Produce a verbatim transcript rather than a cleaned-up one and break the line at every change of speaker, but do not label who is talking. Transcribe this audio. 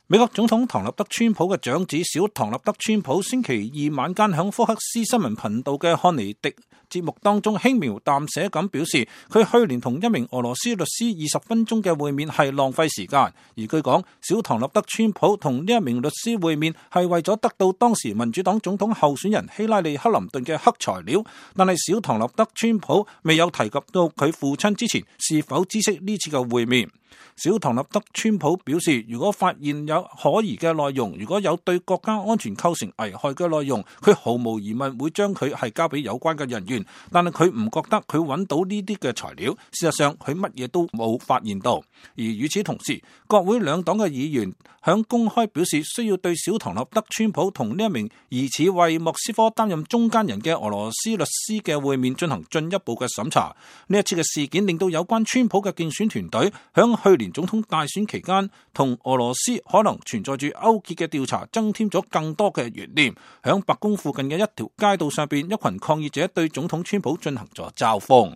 美國總統唐納德川普嘅長子小唐納德川普星期二晚間響福克斯新聞頻道嘅漢尼迪節目當中輕描淡寫咁表示，佢去年同一名俄羅斯律師二十分鐘嘅會面係浪費時間，而據講小唐納德川普同呢一名律師會面係為咗得到當時民主黨總統候選人希拉里克林頓嘅黑材料，但係小唐納德川普未有提及到佢父親之前是否知悉呢次嘅會面。小唐納德川普表示，如果發現有可疑嘅內容，如果有對國家安全構成危害嘅內容，佢毫無疑問會將佢係交俾有關嘅人員，但係佢唔覺得佢揾到呢啲嘅材料，事實上佢乜嘢都冇發現到。而與此同時，國會兩黨嘅議員響公開表示需要對小唐納德川普同呢一名疑似為莫斯科擔任中間人嘅俄羅斯律師嘅會面進行進一步嘅審查。呢一次嘅事件令到有關川普嘅競選團隊響去年總統大選期間同俄羅斯可能存在住勾結嘅調查增添咗更多嘅懸念。響白宮附近嘅一條街道上邊，一群抗議者對總統川普進行咗嘲諷。